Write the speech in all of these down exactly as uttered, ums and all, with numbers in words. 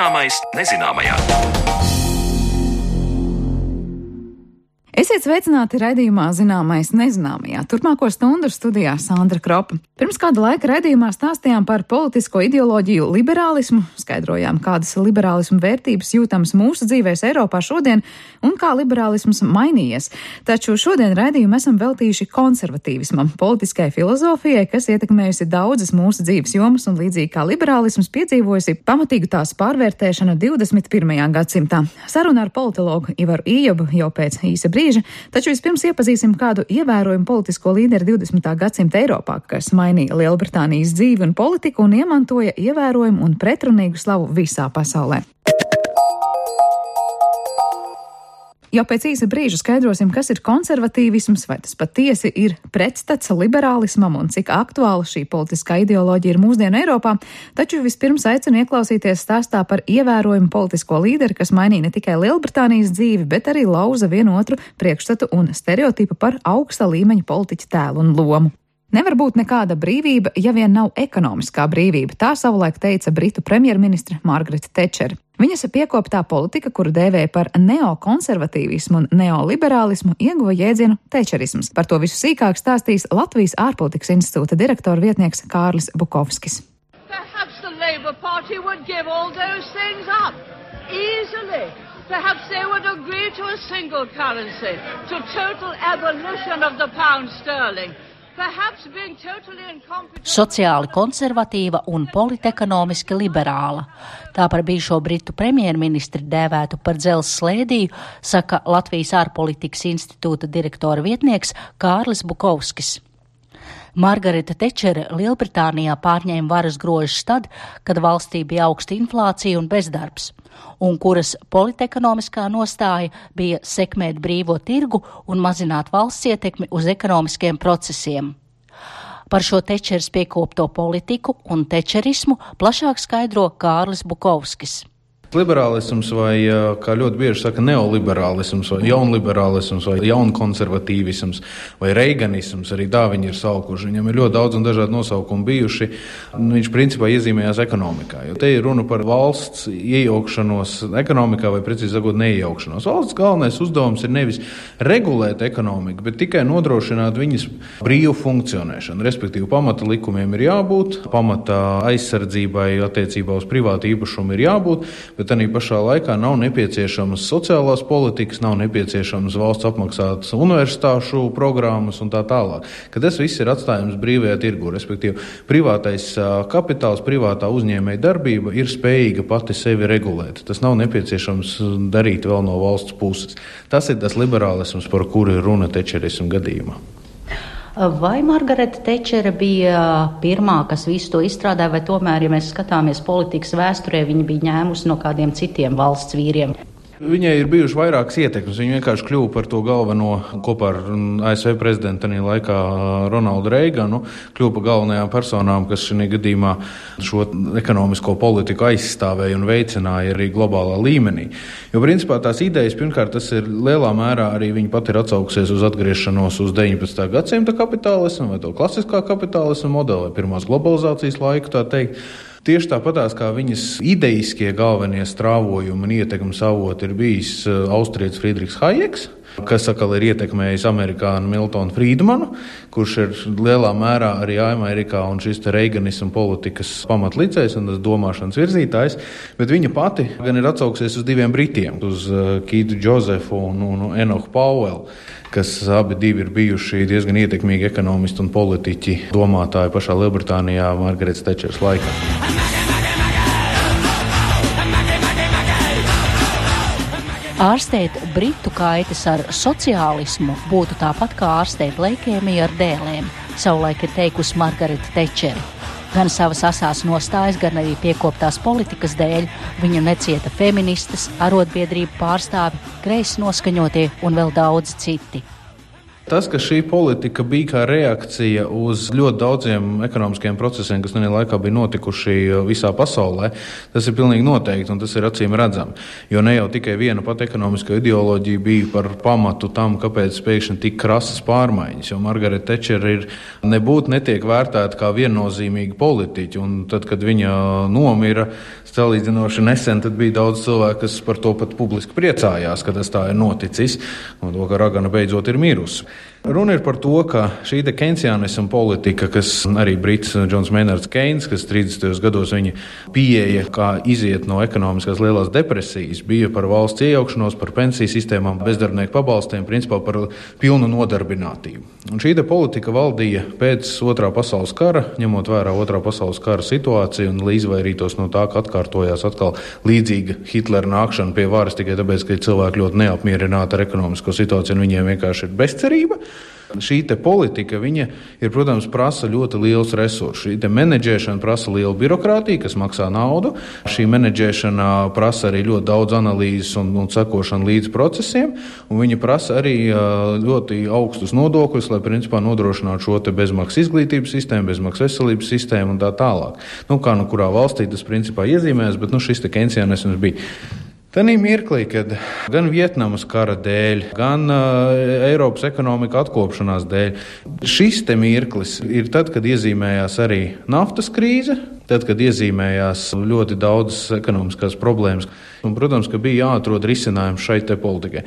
Zināmais nezināmajā. Esiet sveicināti raidījumā Zināmais nezināmajā. Turpmāko stundu studijā Sandra Kropa. Pirms kāda laika raidījumā stāstījām par politisko ideoloģiju liberālismu, skaidrojām, kādas liberālismu vērtības jūtamas mūsu dzīvēs Eiropā šodien un kā liberālisms mainījies. Taču šodien raidījumu esam veltījuši konservatīvismam, politiskai filozofijai, kas ietekmējusi daudzas mūsu dzīves jomas un līdzīgi kā liberālisms piedzīvojusi pamatīgu tās pārvērtēšanu divdesmit pirmajā gadsimtā. Saruna ar politologu Ivaru Ījobu jau pēc īsa brīža. Taču vispirms iepazīsim kādu ievērojumu politisko līderi divdesmitā gadsimta Eiropā, kas mainīja Lielbritānijas dzīvi un politiku un iemantoja ievērojumu un pretrunīgu slavu visā pasaulē. Jau pēc īsa brīža skaidrosim, kas ir konservatīvisms, vai tas patiesi ir pretstats liberālismam un cik aktuāla šī politiskā ideoloģija ir mūsdienu Eiropā, taču vispirms aicinu ieklausīties stāstā par ievērojumu politisko līderi, kas mainīja ne tikai Lielbritānijas dzīvi, bet arī lauza vienotru priekšstatu un stereotipu par augsta līmeņa politiķa tēlu un lomu. Nevar būt nekāda brīvība, ja vien nav ekonomiskā brīvība, tā savulaik teica britu premjerministre Margarete Tečere. Viņas piekoptā politika, kuru dēvēja par neokonservatīvismu un neoliberālismu, ieguva jēdzienu tečerisms. Par to visu sīkāk stāstīs Latvijas ārpolitikas institūta direktora vietnieks Kārlis Bukovskis. Perhaps the Labour Party would give all those things up easily. Perhaps they would agree to a single currency, to total abolition of the pound sterling. Sociāli konservatīva un politekonomiski liberāla. Tā par bijušo britu premjerministri dēvētu par dzelzs slēdīju, saka Latvijas ārpolitikas institūta direktora vietnieks Kārlis Bukovskis. Margarete Tečere Lielbritānijā pārņēma varas grožus tad, kad valstī bija augsta inflācija un bezdarbs, un kuras politekonomiskā nostāja bija sekmēt brīvo tirgu un mazināt valsts ietekmi uz ekonomiskiem procesiem. Par šo Tečeres piekopto politiku un tečerismu plašāk skaidro Kārlis Bukovskis. Liberālisms vai, kā ļoti bieži saka, neoliberālisms vai jaunliberālisms vai jaunkonservatīvisms vai reiganisms, arī tā viņi ir saukuši. Viņam ir ļoti daudz un dažādi nosaukumi bijuši. Viņš principā iezīmējās ekonomikā, jo te ir runa par valsts iejaukšanos ekonomikā vai precīzi sakot neiejaukšanos. Valsts galvenais uzdevums ir nevis regulēt ekonomiku, bet tikai nodrošināt viņas brīvu funkcionēšanu. Respektīvi, pamata likumiem ir jābūt, pamata aizsardzībai attiecībā uz privātu īpašumu ir jābūt, bet arī pašā laikā nav nepieciešamas sociālās politikas, nav nepieciešamas valsts apmaksātas universitāšu programmas un tā tālāk. Ka tas viss ir atstājums brīvajā tirgu, respektīvi privātais kapitāls, privātā uzņēmēja darbība ir spējīga pati sevi regulēt. Tas nav nepieciešams darīt vēl no valsts puses. Tas ir tas liberālisms, par kuru ir runa tečerismu gadījumā. Vai Margarete Tečere bija pirmā, kas visu to izstrādāja, vai tomēr, ja mēs skatāmies politikas vēsturē, viņa bija ņēmusi no kādiem citiem valsts vīriem? Viņai ir bijuši vairākas ietekmes. Viņa vienkārši kļuva par to galveno kopā ar A S V prezidentu tajā laikā Ronaldu Reiganu, kļuva par galvenajām personām, kas šajā gadījumā šo ekonomisko politiku aizstāvēja un veicināja arī globālā līmenī. Jo principā tās idejas, pirmkārt, tas ir lielā mērā arī viņa pat ir atsaukusies uz atgriešanos uz deviņpadsmitā gadsimta kapitālismu vai to klasiskā kapitālismu modeli, vai pirmās globalizācijas laiku, tā teikt. Tieši tāpatās kā viņas ideiskie galvenie strāvojumi un ietekmes avoti ir bijis austrietis Friedrichs Hayeks, kas atkal ir ietekmējis amerikānu Miltonu Friedmanu, kurš ir lielā mērā arī Amerikā un šis te reiganismu politikas pamatlicējs un tas domāšanas virzītājs, bet viņa pati gan ir atsauksies uz diviem britiem, uz Keithu Josefu un, un Enochu Powellu, kas abi divi ir bijuši diezgan ietekmīgi ekonomisti un politiķi domātāji pašā Lielbritānijā Margaretes Tečeres laikā. Ārstēt britu kaitas ar sociālismu būtu tāpat kā ārstēt leikēmiju ar dēlēm, savulaik ir teikusi Margarete Tečere. Gan savas asās nostājas, gan arī piekoptās politikas dēļ viņu necieta feministas, arotbiedrību pārstāvi, kreisi noskaņotie un vēl daudz citi. Tas, ka šī politika bija kā reakcija uz ļoti daudziem ekonomiskiem procesiem, kas vienā laikā bija notikuši visā pasaulē, tas ir pilnīgi noteikti un tas ir acīm redzami. Jo ne jau tikai viena pati ekonomiska ideoloģija bija par pamatu tam, kāpēc pēkšņi tik krasas pārmaiņas. Jo Margaret Thatcher ir nebūt netiek vērtēta kā viennozīmīga politiķa. Un tad, kad viņa nomira, salīdzinoši nesen, tad bija daudz cilvēku, kas par to pat publiski priecājās, ka tas tā ir noticis un to, ka ragana beidzot ir mirusi. Runa ir par to, ka šī te keynesianisma politika, kas arī brits Džons Maynards Keynes, kas trīsdesmitajos gados viņa pieeja, kā iziet no ekonomiskās lielās depresijas, bija par valsts iejaukšanos, par pensiju sistēmām, bezdarbnieku pabalstiem, principā par pilnu nodarbinātību. Un šī te politika valdīja pēc otrā pasaules kara, ņemot vērā otrā pasaules kara situāciju un lai izvairītos no tā, ka atkārtojās atkal līdzīga Hitlera nākšana pie varas tikai tāpēc, ka cilvēki ļoti neapmierināti ar ekonomisko situāciju un viņiem vienkārši ir bezcerība. Šī te politika, viņa ir, protams, prasa ļoti liels resursus. Šī te menedžēšana prasa lielu birokrātiju, kas maksā naudu. Šī menedžēšana prasa arī ļoti daudz analīzes un, un sekošanu līdz procesiem, un viņa prasa arī ļoti augstus nodokļus, lai, principā, nodrošinātu šo te bezmaksas izglītības sistēmu, bezmaksas veselības sistēmu un tā tālāk. Nu, kā nu kurā valstī tas, principā, iezīmēs, bet, nu, šis te keynesianisms bija. Tanī mirklī, kad gan Vietnamas kara dēļ, gan uh, Eiropas ekonomika atkopšanās dēļ, šis te mirklis ir tad, kad iezīmējās arī naftas krīze, tad, kad iezīmējās ļoti daudzas ekonomiskās problēmas. Un, protams, ka bija jāatrod risinājums šai te politikai.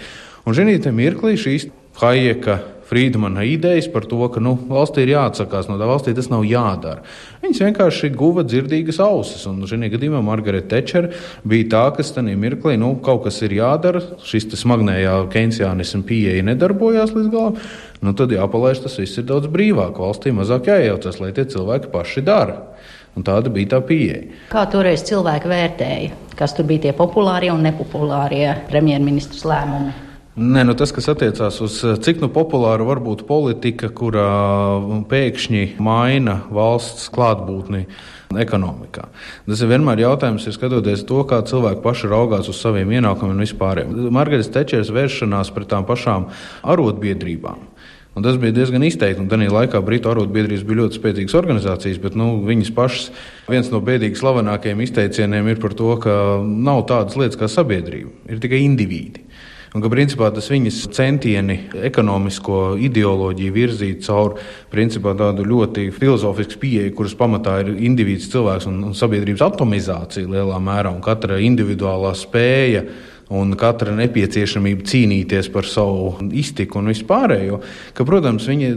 Un šī te mirklī šīs Hayeka, Friedmana idejas par to, ka nu, valstī ir jāatsakās no tā, valstī tas nav jādara. Viņas vienkārši guva dzirdīgas ausis, un šajā gadījumā Margaret Thatcher bija tā, kas tanī mirklī, nu, kaut kas ir jādara, šis tas smagnējā keynesianisma pieeja nedarbojās līdz galam, nu, tad jāpalaiž tas viss ir daudz brīvāk, valstī mazāk jājaucas, lai tie cilvēki paši dara. Un tāda bija tā pieeja. Kā toreiz cilvēki vērtēja, kas tur bija tie populārie un nepopulārie premjerministrs lēmumi? Nē, nu tas, kas attiecās uz cik nu populāra var būt politika, kurā pēkšņi maina valsts klātbūtni ekonomikā. Tas ir vienmēr jautājums, ir skatoties to, kā cilvēki paši raugās uz saviem ienākumiem un vispāriem. Margaret Thatcheras vēršanās pret tām pašām arotbiedrībām. Un tas bija diezgan izteikti, un tajā laikā Britu arotbiedrības bija ļoti spēcīgas organizācijas, bet nu, viņas pašas, viens no bēdīgi slavenākajiem izteicieniem ir par to, ka nav tādas lietas kā sabiedrība, ir tikai indivīdi. Un ka principā tas viņas centieni ekonomisko ideoloģiju virzīt caur principā tādu ļoti filozofisku pieeju, kuras pamatā ir indivīds cilvēks un, un sabiedrības atomizācija lielā mērā un katra individuālā spēja un katra nepieciešamība cīnīties par savu iztiku un vispārējo, ka, protams, viņi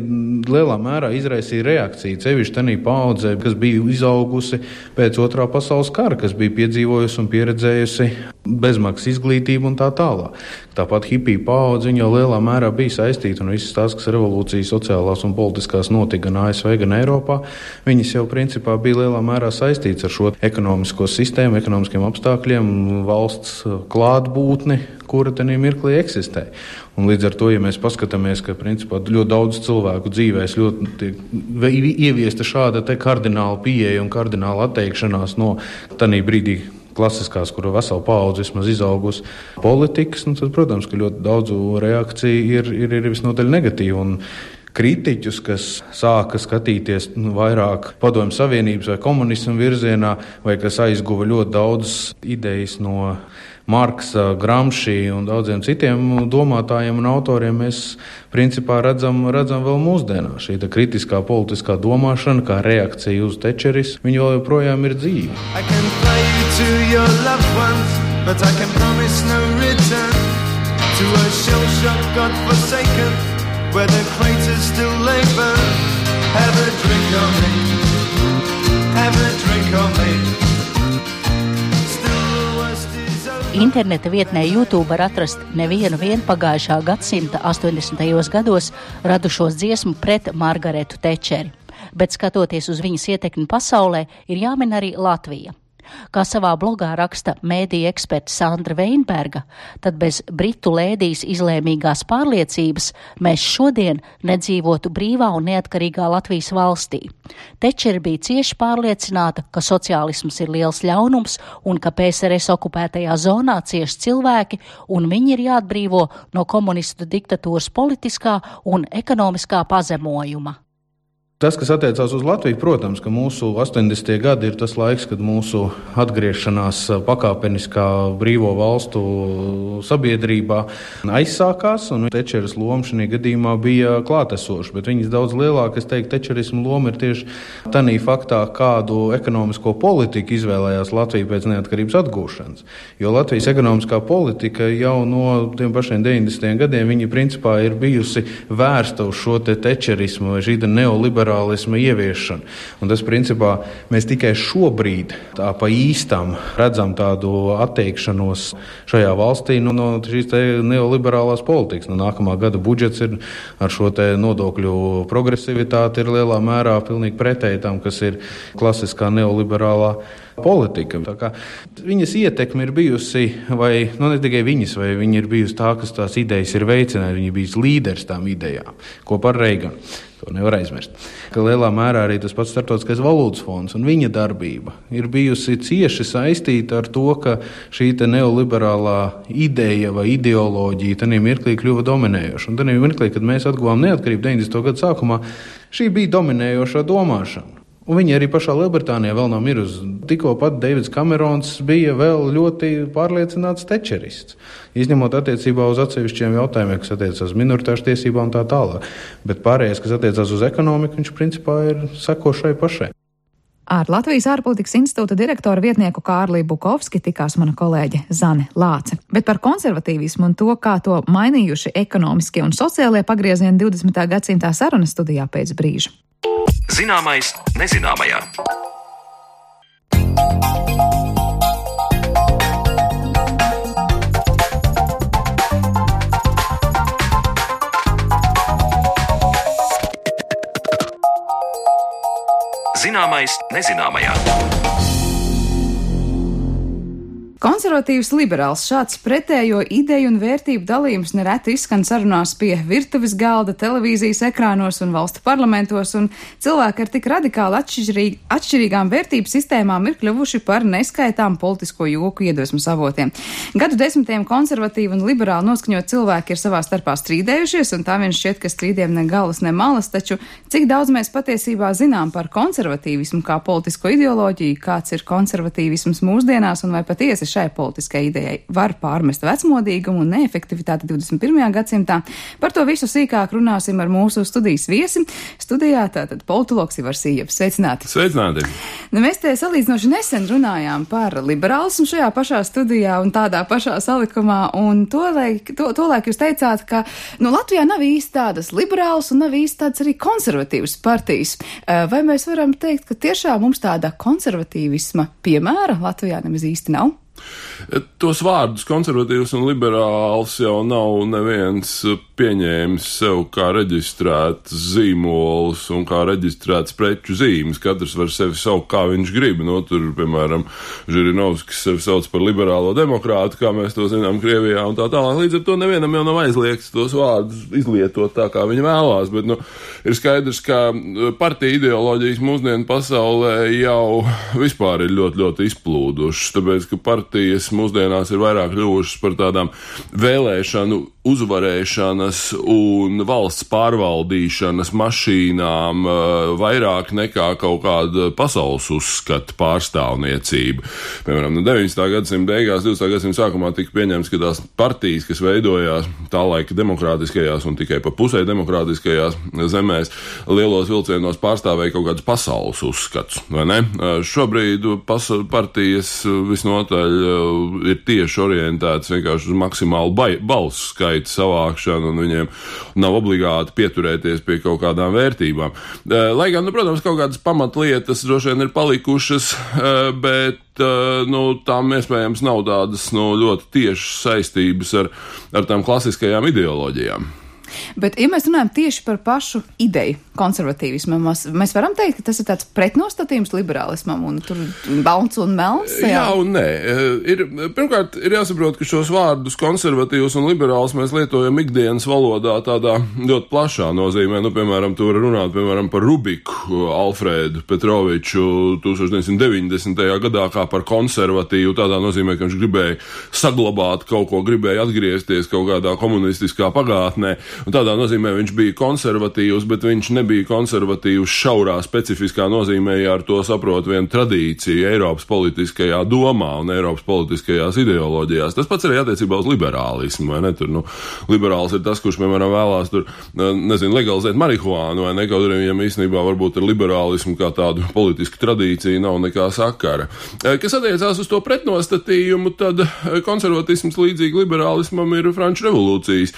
lielā mērā izraisīja reakciju, sevišķi tanī paaudzē, kas bija izaugusi pēc otrā pasaules kara, kas bija piedzīvojusi un pieredzējusi bezmaksas izglītību un tā tālāk. Tāpat hipiju paudze viņa jau lielā mērā bija saistīta un visas tās, kas revolūcijas sociālās un politiskās notika gan A S V, gan Eiropā, viņas jau principā bija lielā mērā saistīts ar šo ekonomisko sistēmu, ekonomiskiem apstākļiem, valsts klātbūtni, kura tenī mirklī eksistē. Un līdz ar to, ja mēs paskatāmies, ka principā ļoti daudz cilvēku dzīvēs ļoti tiek ieviesta šāda te kardināla pieeja un kardināla atteikšanās no tanī brīdī klasiskās, kura vesela paudze vismaz izaugusi politikas, nu tad, protams, ka ļoti daudzu reakciju ir, ir, ir visnotaļ negatīva. Un kritiķus, kas sāka skatīties nu, vairāk Padomju Savienības vai komunismu virzienā, vai kas aizguva ļoti daudz idejas no Marksa, Gramsci un daudziem citiem domātājiem un autoriem, mēs principā redzam, redzam vēl mūsdienā. Šī kritiskā politiskā domāšana, kā reakcija uz Thatcheris, viņa vēl joprojām ir dzīva. I can fly you to your loved ones, but I can promise no return to a shell-shocked, God-forsaken, where the craters still lay burn. Have a drink on me, have a drink on me. Interneta vietnē YouTube var atrast nevienu vien pagājušā gadsimta astoņdesmitajos gados radušos dziesmu pret Margaretu Thatcheri, bet skatoties uz viņas ietekmi pasaulē, ir jāmin arī Latvija. Kā savā blogā raksta mēdīja eksperta Sandra Veinberga, tad bez britu lēdijas izlēmīgās pārliecības mēs šodien nedzīvotu brīvā un neatkarīgā Latvijas valstī. Tečere bija cieši pārliecināta, ka sociālisms ir liels ļaunums un ka P S R S okupētajā zonā cieši cilvēki un viņi ir jāatbrīvo no komunistu diktatūras politiskā un ekonomiskā pazemojuma. Tas, kas attiecās uz Latviju, protams, ka mūsu astoņdesmitie gadi ir tas laiks, kad mūsu atgriešanās pakāpeniskā brīvo valstu sabiedrībā aizsākās, un Tečeres loma šajā gadījumā bija klātesoša, bet viņas daudz lielāka, es teiktu, tečerismu loma ir tieši tanī faktā, kādu ekonomisko politiku izvēlējās Latvija pēc neatkarības atgūšanas. Jo Latvijas ekonomiskā politika jau no tiem pašiem deviņdesmitiem gadiem, viņa principā ir bijusi vērsta uz šo te tečerismu vai šī neoliberālismu ieviešanu. Un tas, principā, mēs tikai šobrīd tā pa īstam redzam tādu atteikšanos šajā valstī no, no šīs te neoliberālās politikas. No nākamā gada budžets ir ar šo te nodokļu progresivitāti ir lielā mērā pilnīgi pretēji tam, kas ir klasiskā neoliberālā politika. Tā kā viņas ietekme ir bijusi, vai nu ne tikai viņas, vai viņa ir bijusi tā, kas tās idejas ir veicinājusi, viņa bijis līderis tām idejām, kopā ar Reiganu. To nevar aizmirst. Ka lielā mērā arī tas pats Startautiskais valūtas fonds un viņa darbība ir bijusi cieši saistīta ar to, ka šī te neoliberālā ideja vai ideoloģija tanī mirklī kļuva dominējoša. Un tanī mirklī, kad mēs atguvām neatkarību deviņdesmito gadu sākumā, šī bija dominējošā domāšana. Un viņi arī pašā Lielbritānijā vēl nav mirusi. Tikko pat Deivids Kamerons bija vēl ļoti pārliecināts tečerists, izņemot attiecībā uz atsevišķiem jautājumiem, kas attiecas uz minoritāšu tiesībām un tā tālāk. Bet pārējais, kas attiecas uz ekonomiku, viņš principā ir sekošai pašai. Ar Latvijas ārpolitikas institūta direktora vietnieku Kārli Bukovski tikās mana kolēģe Zane Lāce. Bet par konservatīvismu un to, kā to mainījuši ekonomiskie un sociālie pagriezieni divdesmitā gadsimtā, sarunas studijā pēc brīža. Zināmais nezināmajā. Zināmais nezināmajā. Konservatīvs liberāls šāds pretējo ideju un vērtību dalījums nereti izskan sarunās pie virtuves galda, televīzijas ekrānos un valstu parlamentos, un cilvēki ar tik radikāli atšķirīg, atšķirīgām vērtību sistēmām ir kļuvuši par neskaitām politisko joku iedvesmas avotiem. Gadu desmitiem konservatīvi un liberāli noskaņot cilvēki ir savā starpā strīdējušies, un tā vien šķiet, ka strīdiem ne galas, ne malas, taču cik daudz mēs patiesībā zinām par konservatīvismu kā politisko ideoloģiju, kāds ir konservatīvisms mūsdienās, un vai patiesi šai politiskai idejai var pārmest vecmodīgumu un neefektivitāti divdesmit pirmajā gadsimtā. Par to visu sīkāk runāsim ar mūsu studijas viesi. Studijā tātad politologs Ivars Ījabs. Sveicināti! Sveicināti! Nu, mēs te salīdzinoši nesen runājām par liberālismu šajā pašā studijā un tādā pašā salikumā, un tolaik, to, tolaik jūs teicāt, ka nu, Latvijā nav īsti tādas liberālas un nav īsti tādas arī konservatīvas partijas. Vai mēs varam teikt, ka tiešām mums tāda konservatīvisma piemēra Latvijā nemaz īsti nav? Tos vārdus konservatīvs un liberāls jau nav neviens pieņēmis sev kā reģistrēts zīmols un kā reģistrēts preču zīmes. Katrs var sevi saukt, kā viņš grib. No, tur, piemēram, Žirinovskis sevi sauc par liberālo demokrātu, kā mēs to zinām Krievijā un tā tālāk. Līdz ar to nevienam jau nav aizliegts tos vārdus izlietot tā, kā viņi vēlās. Bet, nu, ir skaidrs, ka partija ideoloģijas mūsdienu pasaulē jau vispār ir ļoti, ļoti izplūdušas, tāpēc, ka partijas mūsdienās ir vairāk kļuvušas par tādām vēlēšanu uzvarēšanas un valsts pārvaldīšanas mašīnām vairāk nekā kaut kāda pasaules uzskata pārstāvniecība. Piemēram, no deviņdesmitā gadsimta beigās, divdesmitā gadsimta sākumā tika pieņemts, ka tās partijas, kas veidojās tā laika demokrātiskajās un tikai pa pusē demokrātiskajās zemēs, lielos vilcienos pārstāvēja kaut kādus pasaules uzskatus, vai ne? Šobrīd pas- partijas visnotaļ ir tieši orientētas vienkārši uz maksimālu bai- balsu skaitu savākšanu, un viņiem nav obligāti pieturēties pie kaut kādām vērtībām. Lai gan, nu, protams, kaut kādas pamatlietas droši vien ir palikušas, bet nu, tām iespējams nav tādas nu, ļoti tiešas saistības ar, ar tām klasiskajām ideoloģijām. Bet, ja mēs runājam tieši par pašu ideju konservatīvismu, mēs, mēs varam teikt, ka tas ir tāds pretnostatījums liberālismam un tur balts un melns? Jā, jā un nē. Ir, pirmkārt, ir jāsaprot, ka šos vārdus konservatīvs un liberāls mēs lietojam ikdienas valodā tādā ļoti plašā nozīmē. Nu, piemēram, tu vari runāt, piemēram, par Rubiku Alfrēdu Petroviču tūkstoš deviņsimt deviņdesmitajā gadā kā par konservatīvu, tādā nozīmē, ka viņš gribēja saglabāt kaut ko, gribēja atgriezties kaut kādā komunistiskā pagātnē. Un tādā nozīmē viņš bija konservatīvs, bet viņš nebija konservatīvs šaurā specifiskā nozīmē, ja ar to saprot vienu tradīciju Eiropas politiskajā domā un Eiropas politiskajās ideoloģijās. Tas pats arī attiecībā uz liberālismu, vai ne? Tur, nu, liberāls ir tas, kurš, piemēram, vēlās tur, nezinu, legalizēt marihuānu, vai ne? Kaut arī viņam īstenībā varbūt ar liberālismu kā tādu politisku tradīciju nav nekā sakara. Kas attiecās uz to pretnostatījumu, tad konservatisms līdzīgi liberālismam ir Franču revolūcijas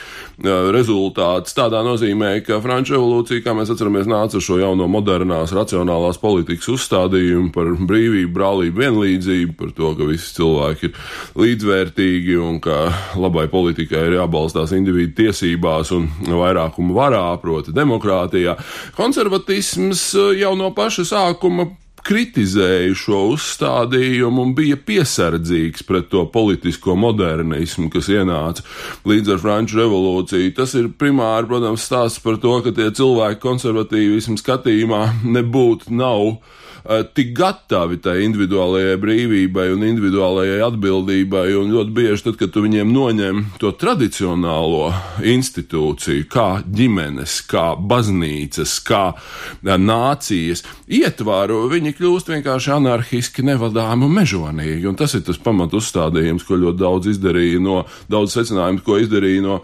rezultāts. Tādā nozīmē, ka Franču revolūcija, kā mēs atceramies, nāca ar šo jauno modernās, racionālās politikas uzstādījumu par brīvību, brālību, vienlīdzību, par to, ka visi cilvēki ir līdzvērtīgi un ka labai politikai ir jābalstās individu tiesībās un vairākumu varā, proti demokrātijā. Konservatisms jau no paša sākuma kritizēja šo uzstādījumu un bija piesardzīgs pret to politisko modernismu, kas ienāca līdz ar Franču revolūciju. Tas ir primāri, protams, stāsts par to, ka tie cilvēki konservatīvismu skatījumā nebūtu nav tik gatavi tai individuālajai brīvībai un individuālajai atbildībai, un ļoti bieži tad, kad tu viņiem noņem to tradicionālo institūciju, kā ģimenes, kā baznīcas, kā nācijas ietvaru, viņi kļūst vienkārši anarhiski, nevadāmi un mežonīgi, un tas ir tas pamat uzstādījums, ko ļoti daudz izdarīja no, daudz secinājumu, ko izdarīja no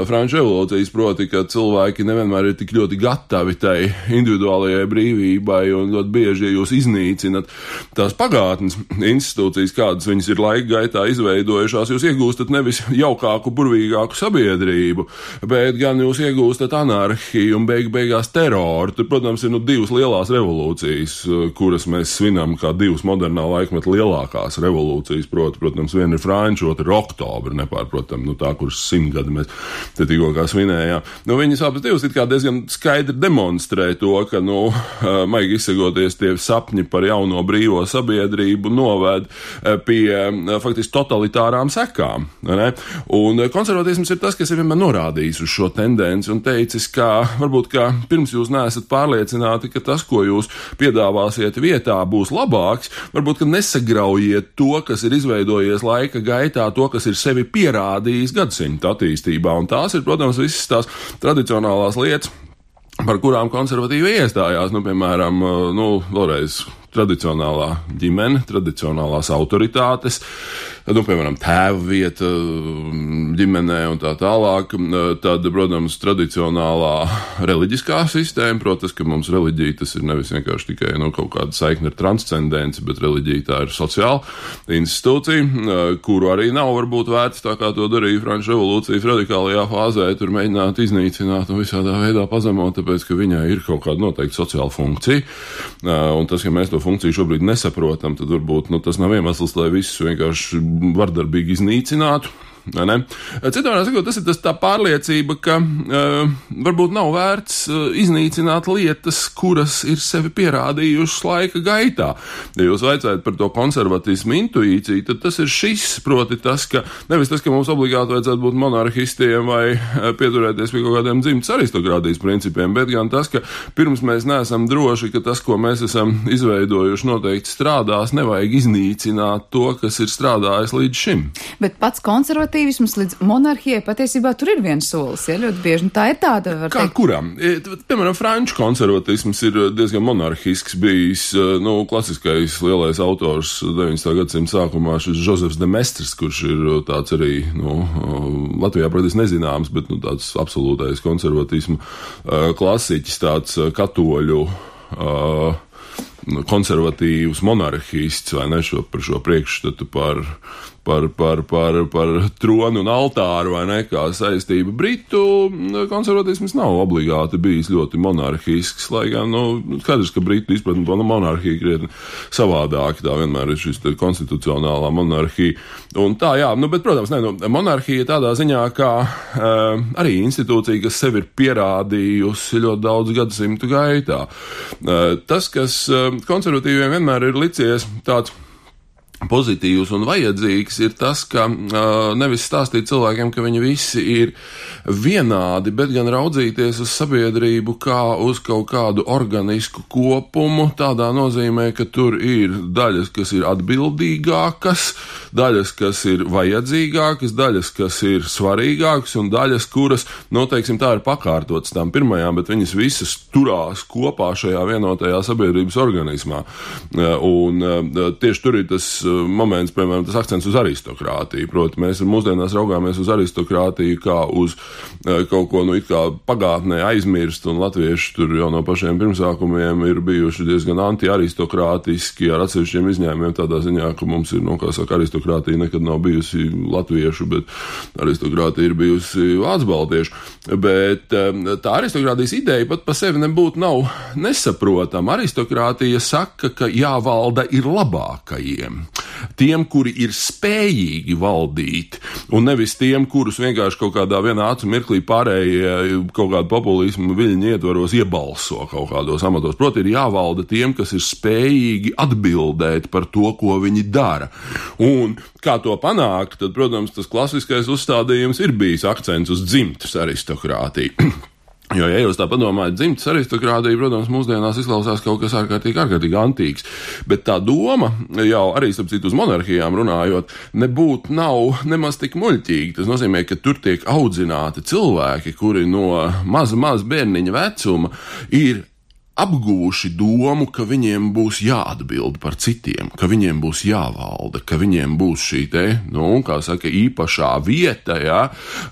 Franču revolūcijas, proti, ka cilvēki nevienmēr ir tik ļoti gatavi tai individuālajai brīvībai, un ļoti bieži jūs iznīcinat tās pagātnes institūcijas, kādas viņas ir laika gaitā izveidojušās, jūs iegūstat nevis jaukāku, burvīgāku sabiedrību, bet gan jūs iegūstat anarhiju un beig beigās teroru. Tur, protams, ir nu divas lielās revolūcijas, kuras mēs svinam kā divas modernā laikmeta lielākās revolūcijas, proti, protams, viena ir Franču, otra ir Oktobra, nepārprotam, nu tā, kuras simtgadi mēs te tikko kā svinējām. Nu, viņas abas divas it kā diezgan skaidri demonstrē to, ka, nu, maigi izsakoties tie sapņi par jauno brīvo sabiedrību noved pie faktiski totalitārām sekām. Ne? Un konservatisms ir tas, kas ir vienmēr norādījis uz šo tendenci un teicis, ka varbūt, ka pirms jūs neesat pārliecināti, ka tas, ko jūs piedāvāsiet vietā, būs labāks, varbūt, ka nesagraujiet to, kas ir izveidojies laika gaitā, to, kas ir sevi pierādījis gadsimta attīstībā. Un tās ir, protams, visas tās tradicionālās lietas, par kurām konservatīvi iestājās, nu, piemēram, nu, vēlreiz tradicionālā ģimene, tradicionālās autoritātes, nu, piemēram, tēva vieta ģimenē un tā tālāk, tad, protams, tradicionālā reliģiskā sistēma, protams, ka mums reliģija tas ir nevis vienkārši tikai, nu, kaut kāda saikne ar transcendenci, bet reliģija tā ir sociāla institūcija, kuru arī nav varbūt vērts tā, kā to darīja Franču revolūcijas radikālajā fāzē, tur mēģināt iznīcināt un visādā veidā pazemot, tāpēc, ka viņai ir kaut kāda noteikta sociāla funkcija, un tas, ka mēs to funkciju šobrīd nesaprotam, tad varbūt, nu, tas nav iemesls, lai visus vienkārši vardarbīgi iznīcinātu. Ne? Citādi sakot, tas ir tas tā pārliecība, ka uh, varbūt nav vērts uh, iznīcināt lietas, kuras ir sevi pierādījušas laika gaitā. Ja jūs vaicājat par to konservatismu intuīciju, tad tas ir šis, proti tas, ka nevis tas, ka mums obligāti vajadzētu būt monarhistiem vai uh, pieturēties pie kaut kādiem dzimtas aristokrātijas principiem, bet gan tas, ka pirms mēs neesam droši, ka tas, ko mēs esam izveidojuši, noteikti strādās, nevajag iznīcināt to, kas ir strādājis līdz šim. Bet pats konservatīvs līdz monarhijai patiesībā tur ir viens solis, ja, ļoti bieži. Tā ir tāda, var Kā teikt. kuram? Piemēram, franču konservatisms ir diezgan monarhisks bijis, nu, klasiskais lielais autors deviņdesmitā gadsimta sākumā, šis Josefs de Maistres, kurš ir tāds arī, nu, Latvijā praktiski nezināms, bet, nu, tāds absolūtais konservatismu klasiķis, tāds katoļu uh, konservatīvs monarhists, vai ne, šo, par šo priekšstatu par Par, par, par, par tronu un altāru, vai ne, kā saistība. Britu konservatisms nav obligāti bijis ļoti monarhisks, lai gan, nu, skaidrs, ka Britu izpratni par monarhiju krietni savādāk, tā vienmēr ir šis konstitucionālā monarhija. Un tā, jā, nu, bet, protams, ne, nu, monarhija tādā ziņā, kā uh, arī institūcija, kas sevi ir pierādījusi ļoti daudz gadsimtu gaitā. Uh, tas, kas uh, konservatīviem vienmēr ir licies tāds pozitīvs un vajadzīgs, ir tas, ka uh, nevis stāstīt cilvēkiem, ka viņi visi ir vienādi, bet gan raudzīties uz sabiedrību kā uz kaut kādu organisku kopumu, tādā nozīmē, ka tur ir daļas, kas ir atbildīgākas, daļas, kas ir vajadzīgākas, daļas, kas ir svarīgākas un daļas, kuras, nu, teiksim, tā ir pakārtotas tām pirmajām, bet viņas visas turās kopā šajā vienotajā sabiedrības organismā. Uh, un uh, tieši tur ir tas moments, piemēram, tas akcents uz aristokrātiju. Proti, mēs mūsdienās raugāmies uz aristokrātiju kā uz uh, kaut ko, nu, it kā pagātnē aizmirst, un latvieši tur jau no pašiem pirmsākumiem ir bijuši diezgan anti-aristokrātiski, ar atsevišķiem izņēmumiem tādā ziņā, ka mums ir, nu, kā saka, aristokrātija nekad nav bijusi latviešu, bet aristokrātija ir bijusi vācu-baltiešu. Bet um, tā aristokrātijas ideja pat pa sevi nebūtu nav nesaprotama. Aristokrātija saka, ka jāvalda ir labākajiem. Tiem, kuri ir spējīgi valdīt, un nevis tiem, kurus vienkārši kaut kādā vienā acu mirklī pārējie kaut kādu populismu viļņu ietvaros iebalso kaut kādos amatos. Proti, ir jāvalda tiem, kas ir spējīgi atbildēt par to, ko viņi dara. Un kā to panākt, tad, protams, tas klasiskais uzstādījums ir bijis akcents uz dzimtas aristokrātiju. Jo, ja jūs tā padomājat, dzimtas aristokrātija, protams, mūsdienās izklausās kaut kas ārkārtīgi, ārkārtīgi antīks, bet tā doma, jau arī, starp citu, uz monarhijām runājot, nebūtu nav nemaz tik muļķīgi. Tas nozīmē, ka tur tiek audzināti cilvēki, kuri no maza, maza bērniņa vecuma ir apguvuši domu, ka viņiem būs jāatbild par citiem, ka viņiem būs jāvalda, ka viņiem būs šī te, nu, kā saka, īpašā vieta, jā,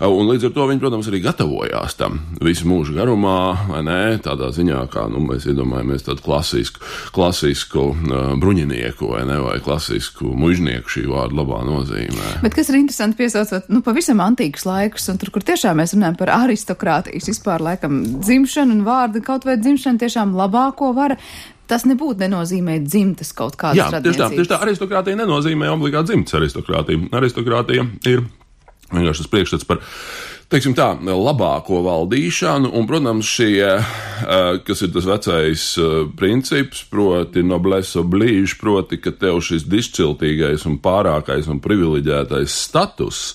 un līdz ar to viņi, protams, arī gatavojās tam visu mūžu garumā, vai ne, tādā ziņā, kā, nu, mēs iedomājamies tādu klasisku, klasisku uh, bruņinieku, vai ne, vai klasisku mužnieku šī vārda labā nozīmē. Bet kas ir interesanti piesaucot, nu, pavisam antīkus laikus, un tur, kur tiešām mēs runājam par aristokrātijas vispār, laikam, dzimšanu un vārdu, kaut vai dzimšanu tiešām labāko vara, tas nebūtu nenozīmē dzimtas kaut kādas radniecības. Jā, tieši tā, tieši tā, aristokrātija nenozīmē obligāti dzimtas aristokrātija. Aristokrātija ir vienkārši tas priekšstats par, teiksim tā, labāko valdīšanu, un, protams, šie, kas ir tas vecais princips, proti noblesse oblige, proti, ka tev šis disciltīgais un pārākais un privileģētais status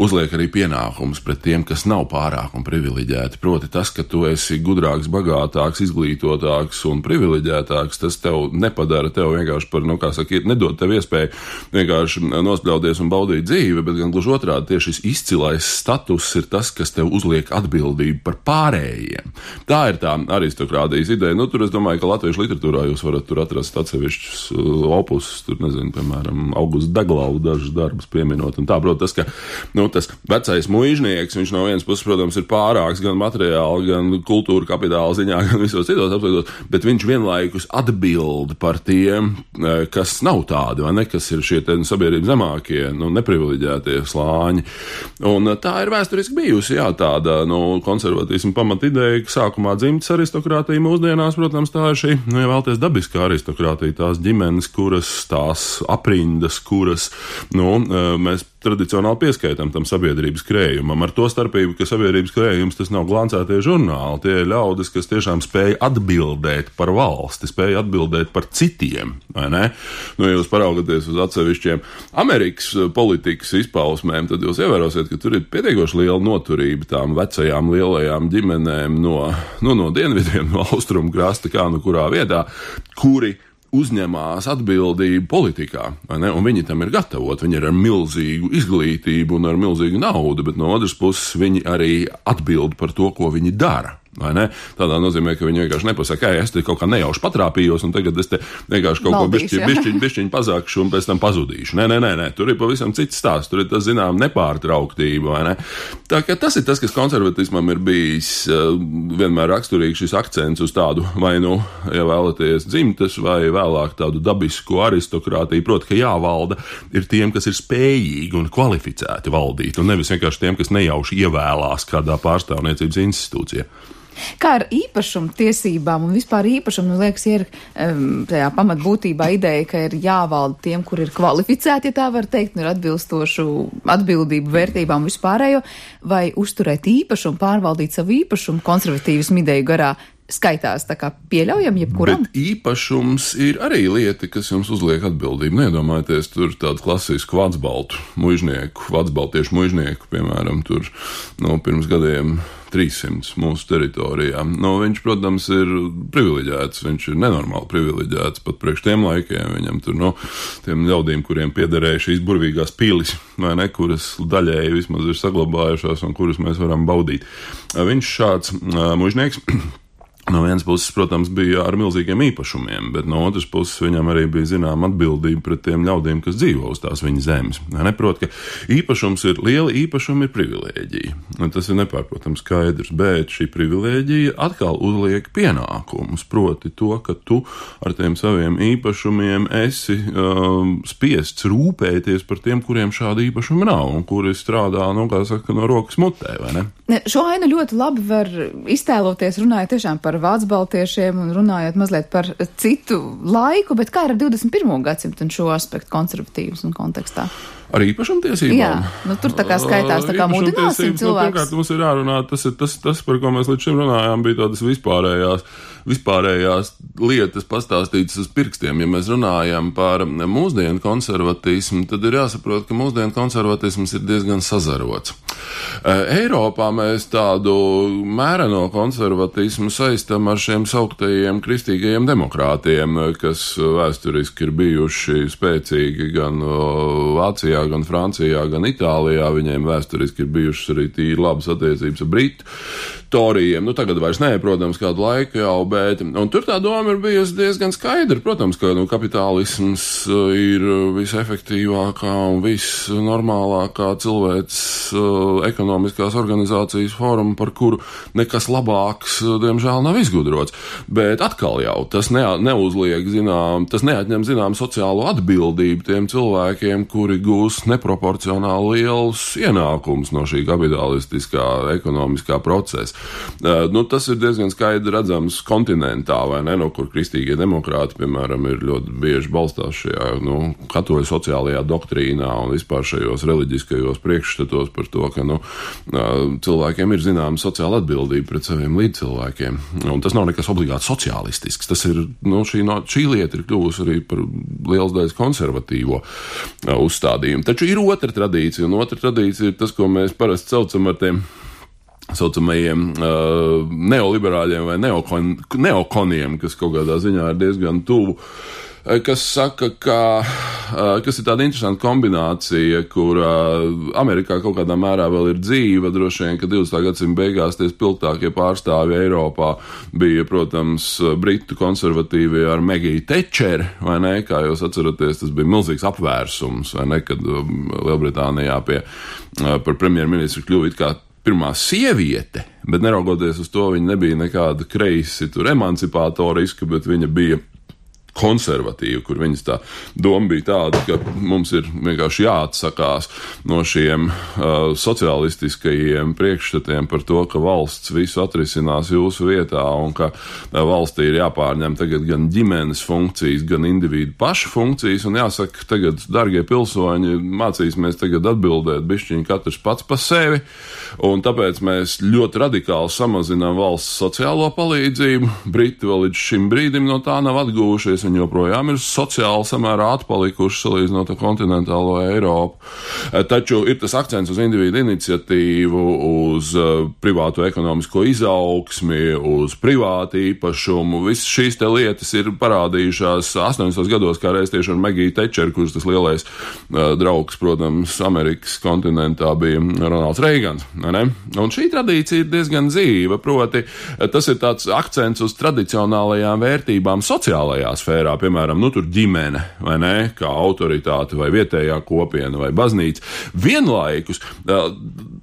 uzliek arī pienākums pret tiem, kas nav pārāk un privileģēti. Proti tas, ka tu esi gudrāks, bagātāks, izglītotāks un privileģētāks, tas tev nepadara tev vienkārši par, nu, kā saka, nedod tev iespēju vienkārši nospļauties un baudīt dzīvi, bet gan gluži otrādi tieši šis izcilais status ir tas, kas tev uzliek atbildību par pārējiem. Tā ir tā aristokrātijas ideja. Nu, tur es domāju, ka latviešu literatūrā jūs varat tur atrast atsevišķus opusus, tur, nezinu, piemēram, Augusts Deglavu dažus darbus pieminot. Un tā, protams, tas, ka, nu, tas vecais muižnieks, viņš no vienas puses, protams, ir pārāks gan materiāli, gan kultūra kapitāla ziņā, gan visos citos aspektos, bet viņš vienlaikus atbild par tiem, kas nav tādi, vai ne, kas ir šie te sabiedrības zemākie, nu, neprivileģētie slāņi. Un tā ir vēsturiski bijusi, jā, tāda, nu, konservatīsma pamatideja, ka sākumā dzimtas aristokrātija mūsdienās, protams, tā ir šī, nu, ja vēlties dabiskā aristokrātija, tās ģimenes, kuras, tās aprindas, kuras, nu, mēs tradicionāli pieskaitam tam sabiedrības krējumam. Ar to starpību, ka sabiedrības krējums tas nav glancētie žurnāli, tie ir ļaudis, kas tiešām spēja atbildēt par valsti, spēja atbildēt par citiem, vai ne? Nu, ja jūs paraugaties uz atsevišķiem Amerikas politikas izpausmēm, tad jūs ievērosiet, ka tur ir pietiekoši liela noturība tām vecajām lielajām ģimenēm no, nu, no dienvidiem, no austrumu krasta, kā nu kurā vietā, kuri uzņemās atbildību politikā, vai ne? Un viņi tam ir gatavot, viņi ir ar milzīgu izglītību un ar milzīgu naudu, bet no otras puses viņi arī atbild par to, ko viņi dara. vai ne? Tādā nozīmē, ka viņi vienkārši nepasaka, ka es te kaut kā nejauši patrāpījos, un tagad es te vienkārši kaut Valdīšu, ko bišķiņ, bišķiņ, bišķiņ pazākšu, un pēc tam pazudīšu. Nē, nē, nē, nē, tur ir pavisam cits stāsts, tur ir tas, zinām, nepārtrauktība, vai ne? Tā kā tas ir tas, kas konservatismam ir bijis uh, vienmēr raksturīgs šis akcents uz tādu, vai nu, ja vēlaties dzimtes, vai vēlāk tādu dabisku aristokrātiju, proti, ka jāvalda ir tiem, kas ir spējīgi un kvalificēti valdīt, un nevis vienkārši tiem, kas nejauši ievēlās kādā pārstāvniecības institūcijā. Kā ar īpašumu tiesībām un vispār īpašumu, liekas, ir um, tajā pamatbūtībā ideja, ka ir jāvalda tiem, kur ir kvalificēti, ja tā var teikt, un ir atbilstošu atbildību, vērtībām vispārējo, vai uzturēt īpašumu, pārvaldīt savu īpašumu konservatīvismu ideju garā, skaitās tā kā pieļaujam jebkuram? Bet īpašums ir arī lieta, kas jums uzliek atbildību. Neiedomājieties, tur tādu klasisku vācbaltu muižnieku, vācbaltiešu muižnieku, piemēram, tur no pirms gadiem trīssimts mūsu teritorijā. Nu, viņš, protams, ir privileģēts, viņš ir nenormāli privileģēts pat priekš tiem laikiem. Viņam tur, no tiem ļaudīm, kuriem piederēja šīs burvīgās pilis, vai ne, kuras daļēji vismaz ir saglabājušās un kuras mēs varam baudīt. Viņš šāds uh, muižnieks. No vienas puses, protams, bija ar milzīgiem īpašumiem, bet no otras puses viņam arī bija zinām atbildība pret tiem ļaudīm, kas dzīvo uz tās viņa zemes. Neprot, ka īpašums ir liela, īpašuma ir privilēģija. Tas ir nepārprotams skaidrs, bet šī privilēģija atkal uzliek pienākumus, proti to, ka tu ar tiem saviem īpašumiem esi um, spiests rūpēties par tiem, kuriem šāda īpašuma nav un kuri strādā, nu, kā saka, no rokas mutē, vai ne? Šo ainu ļoti labi var iztēloties, runājot tiešām par vācbaltiešiem un runājot mazliet par citu laiku, bet kā ar divdesmit pirmo gadsimtu un šo aspektu konservatīvas un kontekstā? Ar īpašumtiesībām? Jā, nu tur tā kā skaitās, tā kā mudināsim cilvēkus. Nu, pirmkārt, mums ir jārunā, tas ir tas, tas, par ko mēs līdz šim runājām, bija tādas vispārējās, vispārējās lietas pastāstītas uz pirkstiem. Ja mēs runājam par mūsdienu konservatismu, tad ir jāsaprot, ka mūsdienu konservatisms ir diezgan sazarots. Eiropā mēs tādu mēreno konservatismu saistam ar šiem sauktajiem kristīgajiem demokrātiem, kas vēsturiski ir bijuši spēcīgi gan Vācijā, gan Francijā, gan Itālijā. Viņiem vēsturiski ir bijušas arī tīri labas attiecības ar Britu torijiem. Nu, tagad vairs nē, protams, kādu laiku jau, bet, un tur tā doma ir bijusi diezgan skaidra. Protams, ka nu, kapitālisms ir visefektīvākā un visnormālākā cilvēks uh, ekonomiskās organizācijas forma, par kuru nekas labāks, diemžēl, nav izgudrots. Bet atkal jau tas ne, neuzliek, zinām, tas neatņem, zinām, sociālo atbildību tiem cilvēkiem, kuri gūs neproporcionāli lielus ienākumus no šī kapitalistiskā ekonomiskā procesa. Uh, nu, tas ir diezgan skaidri redzams kontinentā, vai ne, no kur kristīgie demokrāti, piemēram, ir ļoti bieži balstās šajā, nu, katoļu sociālajā doktrīnā un vispār šajos reliģiskajos priekšstatos par to, ka, nu, uh, cilvēkiem ir zināma sociāla atbildība pret saviem līdzcilvēkiem. Un tas nav nekas obligāti sociālistisks. Tas ir, nu, šī, no, šī lieta ir kļuvusi arī par liels daļas konservatīvo uh, uzstādījumu. Taču ir otra tradīcija, un otra tradīcija ir tas, ko mēs parasti saucam ar tiem saucamajiem uh, neoliberāļiem vai neokon, neokoniem, kas kaut kādā ziņā ir diezgan tuvu, kas saka, ka, uh, kas ir tāda interesanta kombinācija, kur uh, Amerikā kaut kādā mērā vēl ir dzīva, droši vien, ka divdesmitā gadsimta beigās tie spilgtākie pārstāvji Eiropā bija, protams, britu konservatīvie ar Megiju Tečeri, vai ne, kā jūs atceraties, tas bija milzīgs apvērsums, vai ne, kad um, Lielbritānijā pie, uh, par premjerministru kļuva it kā pirmā sieviete, bet neraugoties uz to, viņa nebija nekāda kreisi tur emancipatoriska, bet viņa bija konservatīva, kur viņas tā doma bija tāda, ka mums ir vienkārši jāatsakās no šiem uh, socialistiskajiem priekšstatiem par to, ka valsts visu atrisinās jūsu vietā un ka uh, valstī ir jāpārņem tagad gan ģimenes funkcijas, gan individu pašu funkcijas, un jāsaka, tagad, dargie pilsoņi, mācīsimies tagad atbildēt bišķiņi katrs pats pa sevi, un tāpēc mēs ļoti radikāli samazinām valsts sociālo palīdzību. Briti vēl līdz šim brīdim no tā nav atguvušies. attīstījušies, viņi joprojām ir sociāli samērā atpalikuši salīdzinot ar kontinentālo Eiropu. Taču ir tas akcents uz individu iniciatīvu, uz privāto ekonomisko izaugsmi, uz privātu īpašumu. Visas šīs te lietas ir parādījušās astoņdesmitos gados, kā reiz tieši ar Magiju Tečeru, kurš tas lielais uh, draugs, protams, Amerikas kontinentā bija Ronalds Reigans. Ne? Un šī tradīcija ir diezgan dzīva, proti tas ir tāds akcents uz tradicionālajām vērtībām sociālajā sfērā, piemēram, nu tur ģimene, vai ne, kā autoritāte, vai vietējā kopiena, vai baznīca. Vienlaikus uh,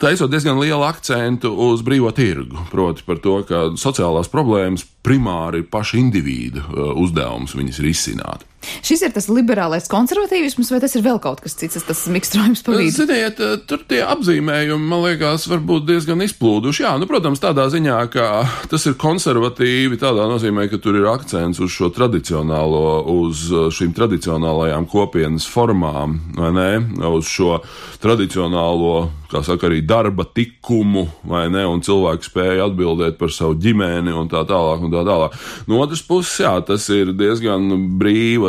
taisot diezgan lielu akcentu uz brīvo tirgu, proti par to, ka sociālās problēmas primāri ir paša individu uh, uzdevums viņas risināt. Šis ir tas liberālais konservatīvisms, vai tas ir vēl kaut kas cits, tas mikstrojums pa vidu? Ziniet, tur tie apzīmējumi, man liekas, varbūt diezgan izplūduši. Jā, nu, protams, tādā ziņā, ka tas ir konservatīvi, tādā nozīmē, ka tur ir akcents uz šo tradicionālo, uz šīm tradicionālajām kopienas formām, vai ne, uz šo tradicionālo, kā saka, arī darba tikumu, vai ne, un cilvēku spēja atbildēt par savu ģimeni un tā tālāk un tā tālāk. No otras puses, jā, tas ir diezgan brīva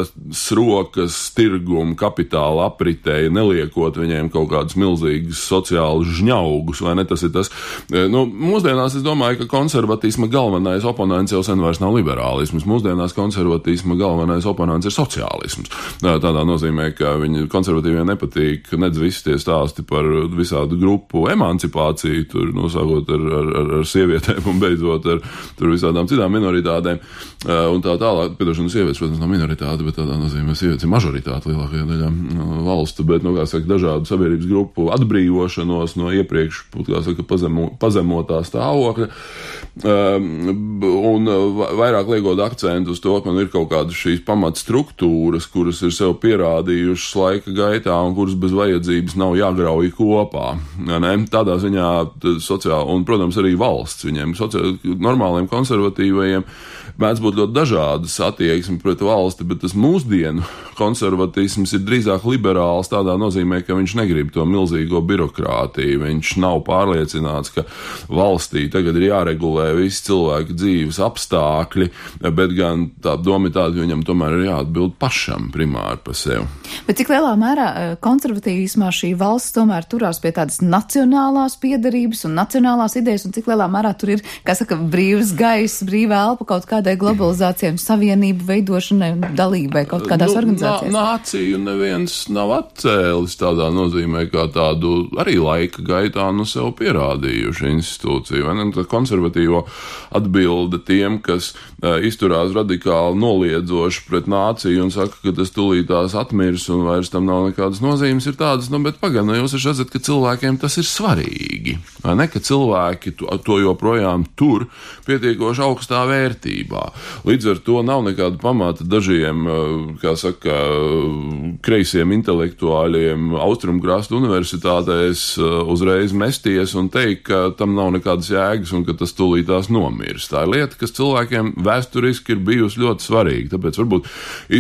rokas tirgumu kapitāla apritēji, neliekot viņiem kaut kādus milzīgus sociālus žņaugus, vai ne, tas ir tas. Nu, mūsdienās es domāju, ka konservatīsma galvenais oponents jau sen vairs nav liberālisms. Mūsdienās konservatīsma galvenais oponents ir sociālisms. Tādā nozīmē, ka viņi konservatīviem nepatīk nedz visi tie stāsti par visādu grupu emancipāciju, tur nosākot ar, ar, ar, ar sievietēm un beidzot ar tur visādām citām minoritātēm un tā tālāk. Piedošana, sievietes, protams, nav minoritāte, bet tādā nozīmē sievietes ir mažoritāte lielākajā daļā valstu, bet, nu, kā saka, dažādu sabiedrības grupu atbrīvošanos no iepriekš, kā saka, pazemo, pazemotā stāvokļa, un vairāk liekot akcentu uz to, ka man ir kaut kādas šīs pamatstruktūras, kuras ir sev pierādījušas laika gaitā un kuras bez vajadzības nav jāgrauj kopā. Ne? Tādā ziņā sociāli, un, protams, arī valsts viņiem, sociāli, normāliem konservatīvajiem, mēdz būt ļoti dažādas attieksmi pret valsti, bet tas mūsdienu konservatisms ir drīzāk liberāls tādā nozīmē, ka viņš negrib to milzīgo birokrātiju, viņš nav pārliecināts, ka valstī tagad ir jāregulē visi cilvēku dzīves apstākļi, bet gan tā doma ir tāda, ka viņam tomēr ir jāatbild pašam primāri par sevi. Bet cik lielā mērā konservatīvismā šī valsts tomēr turās pie tādas nacionālās piederības un nacionālās idejas, un cik lielā mērā tur ir, kā saka, brīvs gaiss, brīvā elpa kaut kādai globalizācijai un savienību veidošanai un dalībai kaut kādās nu, organizācijās? Nā, nāciju neviens nav atcēlis tādā nozīmē, kā tādu arī laika gaitā nu sev pierādījuši institūciju. Vai ne? Tā konservatīvo atbilde tiem, kas uh, izturās radikāli noliedzoši pret nāciju un saka, ka tas tūlītās atmirs un vairs tam nav nekādas nozīmes, ir tādas, nu, bet pagaidām, jūs redzat, ka cilvēkiem tas ir svarīgi. Vai ne? Ka cilvēki to, to joprojām tur pietiekoši augstā vērtībā. Līdz ar to nav nekāda pamata dažiem, kā saka, kreisiem intelektuāļiem Austrumkrasta universitātēs uzreiz mesties un teikt, ka tam nav nekādas jēgas un ka tas tūlītās nomirs. Tā ir lieta, kas cilvēkiem vēsturiski ir bijusi ļoti svarīga, tāpēc varbūt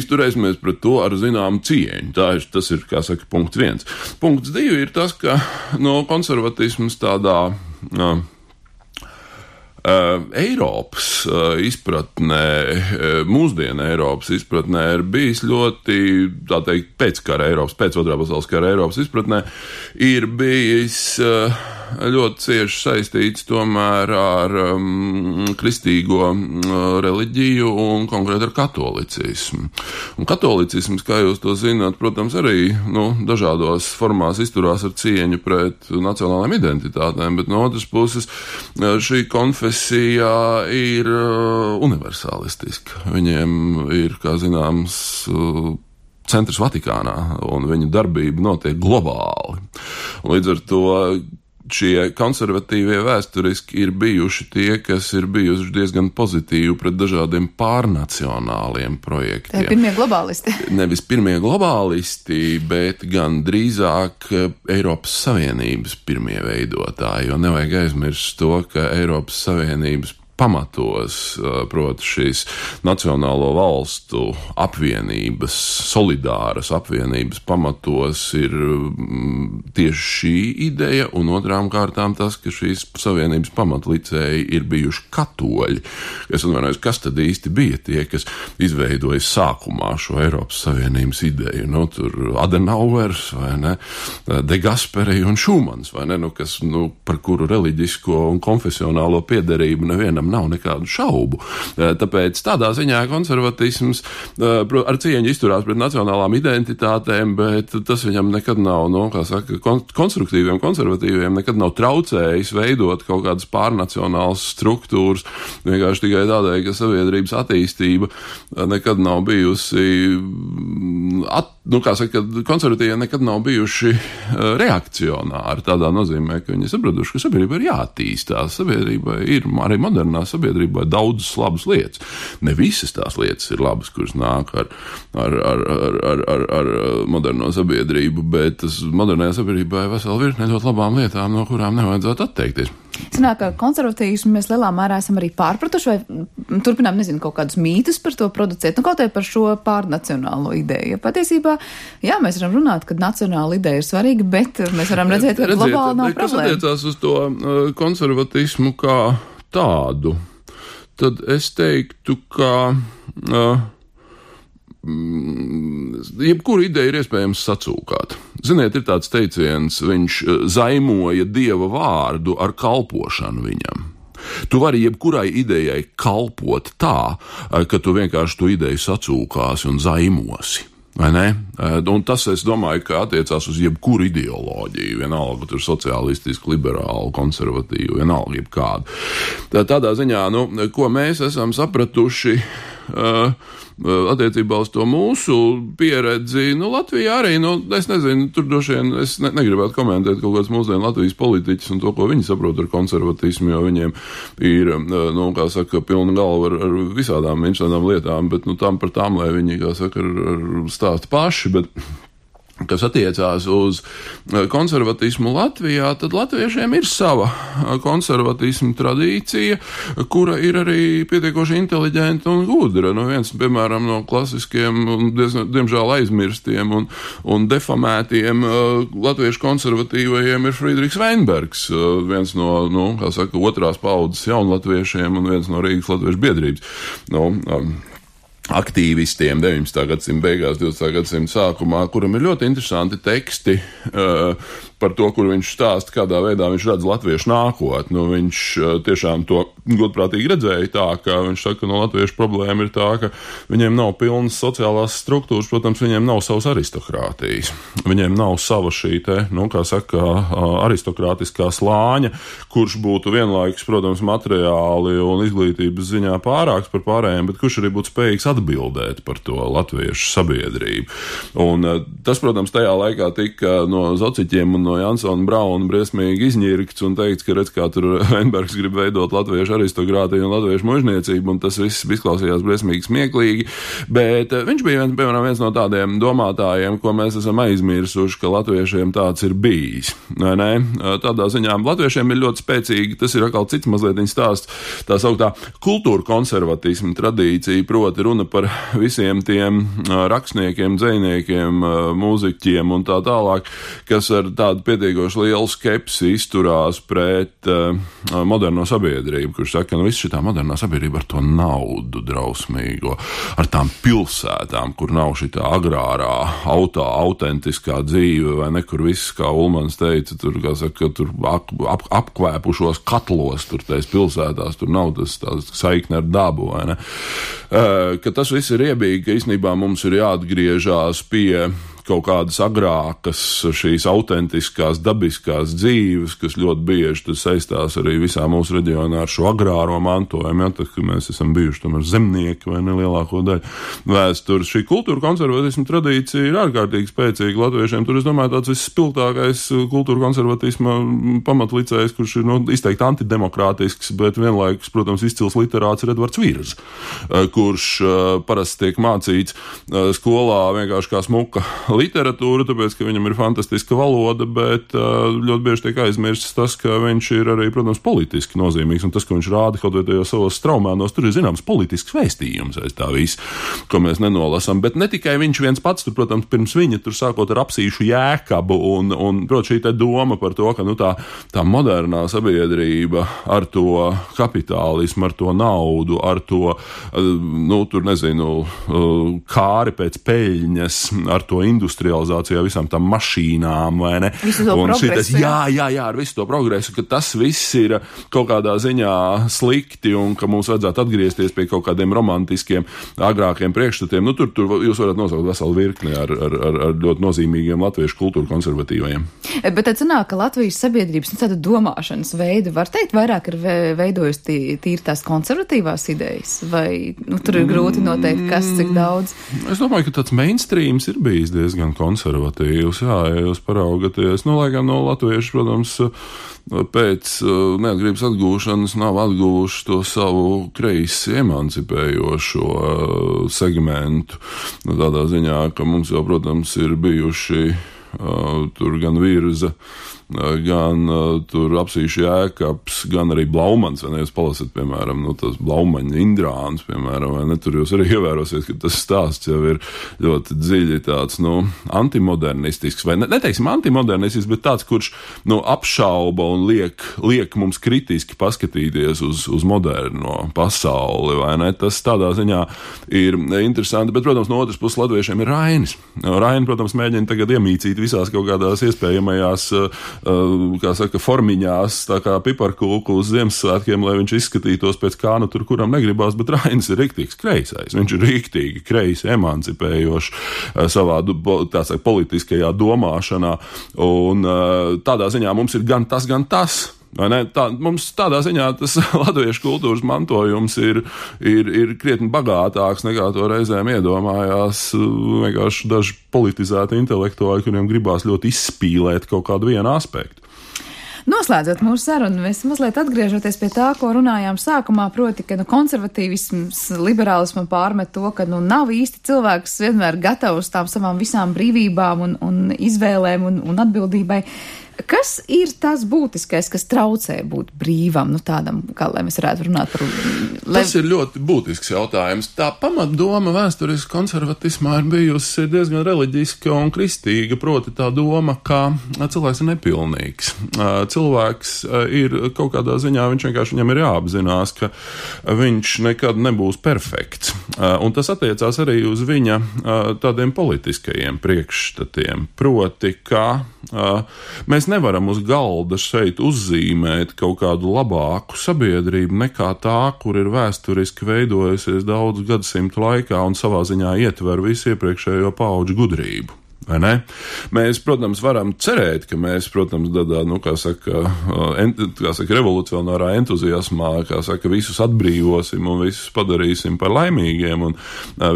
izturēsimies pret to ar zināmu cieņu. Tā ir, tas ir, kā saka, punkts viens. Punkts divi ir tas, ka no konservatisms tādā no, Uh, Eiropas uh, izpratnē, uh, mūsdienu Eiropas izpratnē ir bijis ļoti, tā teikt, pēckara Eiropas, pēc otrā pasaules kara Eiropas izpratnē, ir bijis uh, ļoti cieši saistīts tomēr ar um, kristīgo uh, reliģiju un konkrēti ar katolicismu. Un katolicisms, kā jūs to zināt, protams, arī nu, dažādos formās izturās ar cieņu pret nacionālajām identitātēm, bet no otras puses šī konfesija ir uh, universalistiska. Viņiem ir, kā zināms, uh, centrs Vatikānā, un viņu darbība notiek globāli. Un līdz ar to šie konservatīvie vēsturiski ir bijuši tie, kas ir bijuši diezgan pozitīvi pret dažādiem pārnacionāliem projektiem. Tā pirmie globālisti. Nevis pirmie globālisti, bet gan drīzāk Eiropas Savienības pirmie veidotāji, jo nevajag aizmirst to, ka Eiropas Savienības pamatos, proti šīs nacionālo valstu apvienības, solidāras apvienības pamatos ir tieši šī ideja, un otrām kārtām tas, ka šīs savienības pamatlicēji ir bijuši katoļi. Es atvainojos, kas tad īsti bija tie, kas izveidoja sākumā šo Eiropas Savienības ideju? Nu, tur Adenauers, vai ne, De Gasperi un Šumans, vai ne, nu, kas, nu, par kuru reliģisko un konfesionālo piederību nevienam nav nekādu šaubu. Tāpēc tādā ziņā konservatisms ar cieņu izturās pret nacionālām identitātēm, bet tas viņam nekad nav, nu, kā saka, konstruktīviem, konservatīviem nekad nav traucējis veidot kaut kādas pārnacionālas struktūras, vienkārši tikai tādēļ, ka sabiedrības attīstība nekad nav bijusi, at, nu, kā saka, konservatīvi nekad nav bijuši reakcionāri tādā nozīmē, ka viņi sapratuši, ka sabiedrība ir jātīstās, sabiedrībai ir arī modernā sabiedrībā daudzas labas lietas. Ne visas tās lietas ir labas, kuras nāk ar, ar, ar, ar, ar, ar, ar moderno sabiedrību, bet tas modernajā sabiedrībā ir vesela virkne ļoti labām lietām, no kurām nevajadzētu atteikties. Sanāk, ka konservatīvismu mēs lielā mērā esam arī pārpratuši vai turpinām, nezinu, kaut kādus mītus par to producēt, nu kaut vai par šo pārnacionālo ideju. Ja patiesībā, jā, mēs varam runāt, ka nacionāla ideja ir svarīga, bet mēs varam redzēt, ka Redziet, globāli nav kas problēma. Kas attiecās uz to uh, konservatismu kā tādu, tad es teiktu, ka uh, jebkuru ideju ir iespējams sacūkāt. Ziniet, ir tāds teiciens, viņš zaimoja dieva vārdu ar kalpošanu viņam. Tu vari jebkurai idejai kalpot tā, ka tu vienkārši to ideju sacūkāsi un zaimosi. Vai ne? Un tas, es domāju, ka attiecās uz jebkuru ideoloģiju, vienalga tur sociālistisku, liberālu, konservatīvu, vienalga jebkādu. Tādā ziņā, nu, ko mēs esam sapratuši uh, attiecībā uz to mūsu pieredzi, nu, Latvijā arī, nu, es nezinu, tur droši vien, es ne, negribētu komentēt kaut kāds mūsdienu Latvijas politiķis un to, ko viņi saprot ar konservatismu, jo viņiem ir, nu, kā saka, pilna galva ar, ar visādām interesantām lietām, bet, nu, tam par tām, lai viņi, kā saka, ar, ar stāst paši, bet kas attiecās uz konservatismu Latvijā, tad latviešiem ir sava konservatismu tradīcija, kura ir arī pietiekoši inteliģenta un gudra. Nu, viens, piemēram, no klasiskiem, diezgan, diemžēl aizmirstiem un, un defamētiem latviešu konservatīvajiem ir Friedrichs Veinbergs, viens no, nu, kā saka, otrās paudzes jaunlatviešiem un viens no Rīgas latviešu biedrības. Nu, um, aktīvistiem deviņpadsmitā gadsimta beigās, divdesmitā gadsimta sākumā, kuram ir ļoti interesanti teksti uh, par to, kur viņš stāsta, kādā veidā viņš redz latviešu nākotni. Nu, viņš uh, tiešām to godprātīgi redzēja tā, ka viņš saka, ka no latviešu problēma ir tā, ka viņiem nav pilnas sociālās struktūras, protams, viņiem nav savas aristokrātijas. Viņiem nav sava šī te, nu, kā saka, uh, aristokrātiskā slāņa, kurš būtu vienlaikus, protams, materiāli un izglītības ziņā pārāks par pārējiem, bet kurš arī būtu spējīgs atbildēt par to latviešu sabiedrību. Un tas, protams, tajā laikā tika no Zociķiem un no Jansona Brauna briesmīgi izņirkts un teikts, ka redz, kā tur Veinbergs grib veidot latviešu aristokrātiju un latviešu mužniecību, un tas viss izklausījās briesmīgi smieklīgi, bet viņš bija, viens, piemēram, viens no tādiem domātājiem, ko mēs esam aizmirsuši, ka latviešiem tāds ir bijis. Nē, nē, tādā ziņā latviešiem ir ļoti spēcīgi, tas ir atkal cits mazliet viņa stāsts, tā sauktā kultūra konservatisma tradīcija, proti runa par visiem tiem rakstniekiem, dzejniekiem, mūziķiem un tā tālāk, kas ar tādu pietiekoši lielu skepsi izturās pret uh, moderno sabiedrību, kurš saka, ka nu, viss šitā modernā sabiedrība ar to naudu drausmīgo, ar tām pilsētām, kur nav šitā agrārā, autā, autentiskā dzīve, vai ne, kur viss, kā Ulmans teica, tur, kā saka, tur ap, ap, apkvēpušos katlos, tur tais pilsētās, tur nav tas tās saikne ar dabu, vai ne, uh, ka tas viss ir iebīgi, ka īstenībā mums ir jāatgriežās pie kaut kādas agrākas, šīs autentiskās, dabiskās dzīves, kas ļoti bieži tas saistās arī visā mūsu reģionā ar šo agrāro mantojumu, ja, tad, ka mēs esam bijuši tomēr zemnieki vai nelielāko daļu vēstures. Šī kultūra konservatisma tradīcija ir ārkārtīgi spēcīga latviešiem. Tur, es domāju, tāds visspilgtākais kultūra konservatisma pamatlicējs, kurš ir, nu, izteikti antidemokrātisks, bet vienlaikus, protams, izcils literāts ir Edvards Virs, kurš uh, parasti tiek mācīts uh, skolā vienkārši kā smuka literatūru, tāpēc, ka viņam ir fantastiska valoda, bet ļoti bieži tiek aizmirsts tas, ka viņš ir arī, protams, politiski nozīmīgs, un tas, ka viņš rāda kaut vai tajos savos straumēnos, tur ir zināms politisks vēstījums aiz tā viss, ko mēs nenolasam. Bet ne tikai viņš viens pats, tur, protams, pirms viņa tur sākot ar Apsīšu Jēkabu, un, un protams, šī te doma par to, ka, nu, tā, tā modernā sabiedrība ar to kapitālismu, ar to naudu, ar to, nu, tur nezinu, kāri pēc peļņas, ar to industrializāciju, visām tām mašīnām, vai ne? Visu to un progresu, šitas, jā, jā, jā, ar visu to progresu, ka tas viss ir kaut kādā ziņā slikti un ka mums vajadzētu atgriezties pie kaut kādiem romantiskiem, agrākiem priekšstatiem. Nu, tur, tur jūs varat nosaukt veselu virkni ar, ar, ar, ar ļoti nozīmīgiem latviešu kultūru konservatīvajiem. Bet tad sanāk, ka Latvijas sabiedrības, nu, tāda domāšanas veida, var teikt, vairāk ir veidojusi tī, tīri tās konservatīvās idejas, vai, nu, tur ir grūti noteikt, kas, cik daudz? Es domāju, ka tāds mainstreams ir bijis diezgan konservatīvs, jā, ja jūs paraugaties. Nu, lai gan no latvieši, protams, pēc neatkarības atgūšanas nav atguvuši to savu kreisi emancipējošo segmentu. Nu, tādā ziņā, ka mums jau, protams, ir bijuši uh, tur gan Virza, gan uh, tur Apsīšu Jēkabs, gan arī Blaumans, vai ne, jūs palasat, piemēram, nu, tas Blaumaņa Indrāns, piemēram, vai ne, tur jūs arī ievērosiet, ka tas stāsts jau ir ļoti dziļi tāds, nu, antimodernistisks, vai ne, neteiksim antimodernistisks, bet tāds, kurš, nu, apšauba un liek, liek mums kritiski paskatīties uz, uz moderno pasauli, vai ne, tas tādā ziņā ir interesanti, bet, protams, no otras puses latviešiem ir Rainis. Raini, protams, mēģina tagad iemīcīt visās kaut kādās iespējamajās kā saka, formiņās, tā kā piparkūku uz Ziemassvētkiem, lai viņš izskatītos pēc kā, nu tur kuram negribās, bet Rainis ir riktīgs kreisais. Viņš ir riktīgi kreisi, emancipējošs savā, tā saka, politiskajā domāšanā, un tādā ziņā mums ir gan tas, gan tas. Vai ne? Tā, mums tādā ziņā tas latviešu kultūras mantojums ir, ir, ir krietni bagātāks nekā to reizēm iedomājās vienkārši daži politizēti intelektuāļi, kuriem gribās ļoti izspīlēt kaut kādu vienu aspektu. Noslēdzot mūsu sarunu, mēs mazliet atgriežoties pie tā, ko runājām sākumā, proti, ka nu, konservatīvisms, liberālismu pārmet to, ka nu, nav īsti cilvēks vienmēr gatavs tām savām visām brīvībām un, un izvēlēm un, un atbildībai. Kas ir tas būtiskais, kas traucē būt brīvam, nu tādam, kā lai mēs varētu runāt par... Lai... Tas ir ļoti būtisks jautājums. Tā pamatdoma vēsturiski konservatismā ir bijusi diezgan reliģiska un kristīga, proti tā doma, ka cilvēks ir nepilnīgs. Cilvēks ir kaut kādā ziņā, viņš vienkārši viņam ir jāapzinās, ka viņš nekad nebūs perfekts. Un tas attiecās arī uz viņa tādiem politiskajiem priekšstatiem, proti, ka mēs nevaram uz galda šeit uzzīmēt kaut kādu labāku sabiedrību nekā tā, kur ir vēsturiski veidojusies daudzu gadsimtu laikā un savā ziņā ietver visu iepriekšējo paudžu gudrību. Vai ne? Mēs, protams, varam cerēt, ka mēs, protams, tādā, nu, kā saka, ent, kā saka, revolucionārā entuziasmā, kā saka, visus atbrīvosim un visus padarīsim par laimīgiem un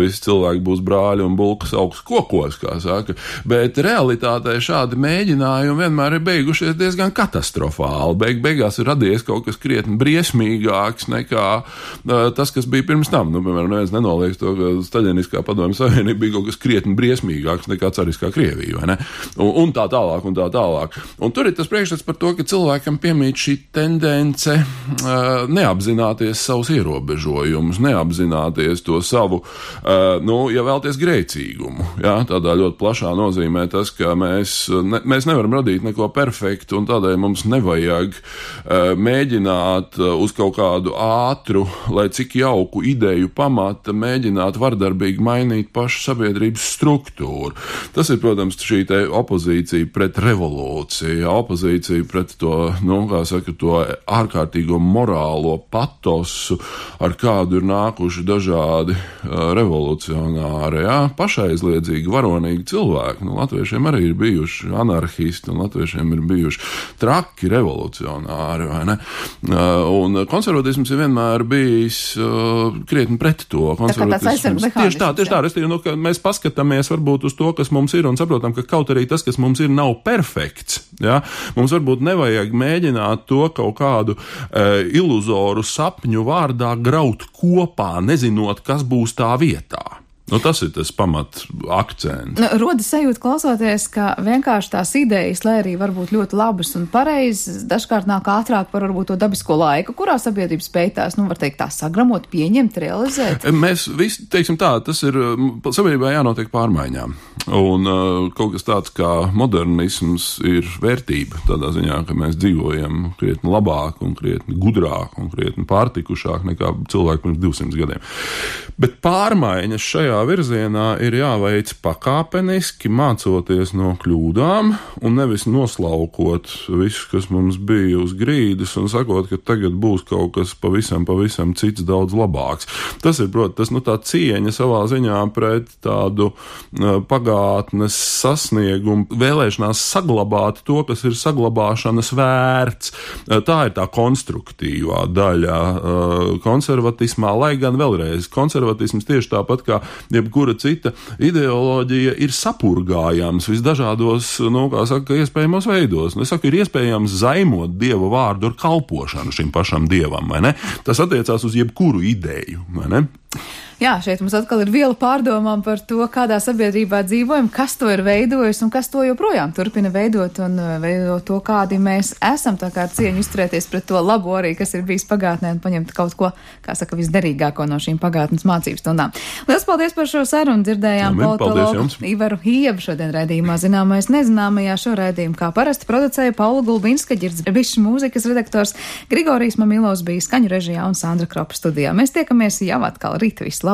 visi cilvēki būs brāļi un bulkas augsts kokos, kā saka. Bet realitātē šādi mēģinājumi vienmēr ir beigušies diezgan katastrofāli. Beig, beigās ir radies kaut kas krietni briesmīgāks nekā tas, kas bija pirms tam. Nu, piemēram, neviens nenoliek to, ka Staļiniskā padomju savienība bija kaut kas krietni briesmīgāks nekā cariskā Krieviju, vai ne? Un, un tā tālāk, un tā tālāk. Un tur ir tas priekšstats par to, ka cilvēkam piemīt šī tendence uh, neapzināties savus ierobežojumus, neapzināties to savu, uh, nu, ja vēlties grēcīgumu. Jā, tādā ļoti plašā nozīmē tas, ka mēs, ne, mēs nevaram radīt neko perfektu, un tādēļ mums nevajag uh, mēģināt uh, uz kaut kādu ātru, lai cik jauku ideju pamata, mēģināt vardarbīgi mainīt pašu sabiedrības struktūru. Tas ir, protams, šī te opozīcija pret revolūciju, opozīcija pret to, nu, kā saka, to ārkārtīgo morālo patosu, ar kādu ir nākuši dažādi uh, revolucionāri, jā, pašaizliedzīgi, varonīgi cilvēki. Nu, latviešiem arī ir bijuši anarhisti, un latviešiem ir bijuši traki revolucionāri, vai ne? Uh, un konservatisms ir vienmēr bijis uh, krietni pret to. Konservatisms. Tieši tā, tieši tā, restīvi, nu, ka mēs paskatāmies varbūt uz to, kas mums ir, un saprotam, ka kaut arī tas, kas mums ir, nav perfekts. Ja? Mums varbūt nevajag mēģināt to kaut kādu e, iluzoru sapņu vārdā graut kopā, nezinot, kas būs tā vietā. Nu, tas ir tas pamat akcents. Nu, rodas sajūta klausoties, ka vienkārši tās idejas, lai arī varbūt ļoti labas un pareizas, dažkārt nāk ātrāk par varbūt to dabisko laiku, kurā sabiedrība spēj tās, nu, var teikt, tā sagramot, pieņemt, realizēt. Mēs visi, teiksim tā, tas ir, sabiedrībā jānotiek pārmaiņām. Un uh, kaut kas tāds kā modernisms ir vērtība tādā ziņā, ka mēs dzīvojam krietni labāk un krietni gudrāk un krietni pārtikušāk nekā cilvēki pirms divsimt gadiem. Bet pārmaiņas šajā virzienā ir jāveic pakāpeniski, mācoties no kļūdām un nevis noslaukot visu, kas mums bija uz grīdas un sakot, ka tagad būs kaut kas pavisam, pavisam cits daudz labāks. Tas ir, protams, tas, nu, tā cieņa savā ziņā pret tādu uh, pagātnes sasniegumu, vēlēšanās saglabāt to, kas ir saglabāšanas vērts. Uh, tā ir tā konstruktīvā daļa uh, konservatismā, lai gan vēlreiz konservatisms tieši tāpat kā jebkura cita ideoloģija ir sapurgājams visdažādos, nu, kā saka, iespējamos veidos. Es saku, ir iespējams zaimot Dieva vārdu ar kalpošanu šim pašam Dievam, vai ne? Tas attiecās uz jebkuru ideju, vai ne? Jā, šeit mums atkal ir viela pārdomām par to, kādā sabiedrībā dzīvojam, kas to ir veidojis un kas to joprojām turpina veidot un veidot to, kādi mēs esam, tā kā ar cieņu izturēties pret to labo arī, kas ir bijis pagātnē un paņemt kaut ko, kā saka, visderīgāko no šīm pagātnes mācības stundām. Lielas paldies par šo sarunu, dzirdējām politologu Ivaru Hiebu šodien raidījumā Zināmais nezināmajā. Šo raidījumu kā parasti producēja Paula Gulbinska, Ģirdzbišs mūzikas redaktors, Grigorijs Mamilovs bija skaņu režijā un Sandra Kropa studijā. Mēs tiekamies jau atkal rīt. Visu labu!